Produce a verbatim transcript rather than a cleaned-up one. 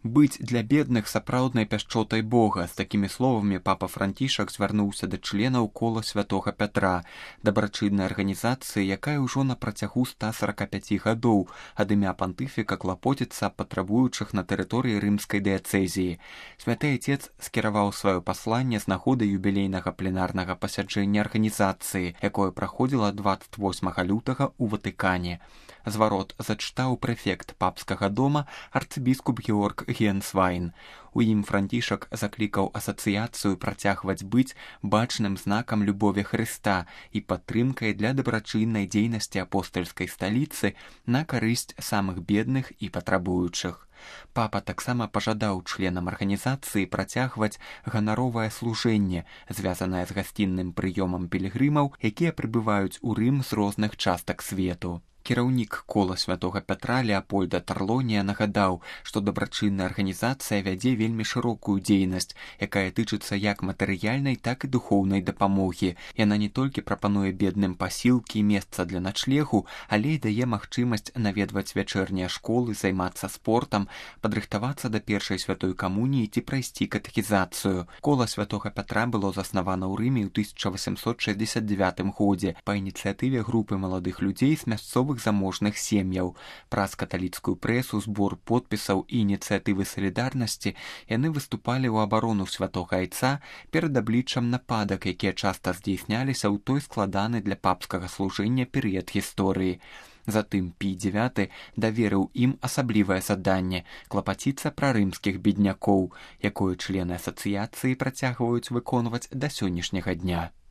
Быць для бедных сапраўднай пяшчотай Бога. З такімі словамі папа Францішак звярнуўся да членаў кола святога Пятра, дабрачыннай арганізацыі, якая ўжо на працягу ста сарака пяці гадоў ад імя пантыфіка клапоціцца аб патрабуючых на тэрыторыі рымскай дыяцэзіі. Святы Отец скіраваў сваё пасланне з нагоды юбілейнага пленарнага пасяджэння арганізацыі, якое праходзіла дваццаць восьмага лютага ў Ватыкане. Зварот зачытаў прэфект папскага дома арцыбіскуп Георг Генсвайн. У ім Францішак заклікаў асацыяцыю працягваць быць бачным знакам любові Хрыста і падтрымкай для дабрачыннай дзейнасці апостальскай сталіцы на карысць самых бедных і патрабуючых. Папа таксама пажадаў членам арганізацыі працягваць ганаровае служэнне, звязанае з гасцінным прыёмам пілігрымаў, якія прыбываюць у Рым з розных частак свету. Кіраўнік кола святога Пятра Леапольда Тарлонія нагадаў, што дабрачынная арганізацыя вядзе вельмі шырокую дзейнасць, якая тычыцца як матэрыяльнай, так і духоўнай дапамогі. Яна не толькі прапануе бедным пасілкі і месца для начлегу, але і дае магчымасць наведваць вячэрнія школы, займацца спортам, падрыхтавацца да першай святой камуніі ці прайсці катэхізацыю. Кола святога Пятра было заснавана ў Рыме ў тысяча васямсот шэсцьдзесят дзявятым годзе па ініцыятыве групы маладых людзей з мясцовых заможных сем'яў. Праз каталіцкую прэсу, збор подпісаў і ініцыятывы салідарнасці яны выступалі ў абарону святога Айца перад абліччам нападак, якія часта здзейсняліся ў той складаны для папскага служэння перыяд гісторыі. Затым Пій дзявяты даверыў ім асаблівае заданне клапаціцца пра рымскіх беднякоў, якое члены асацыяцыі працягваюць выконваць да сённяшняга дня.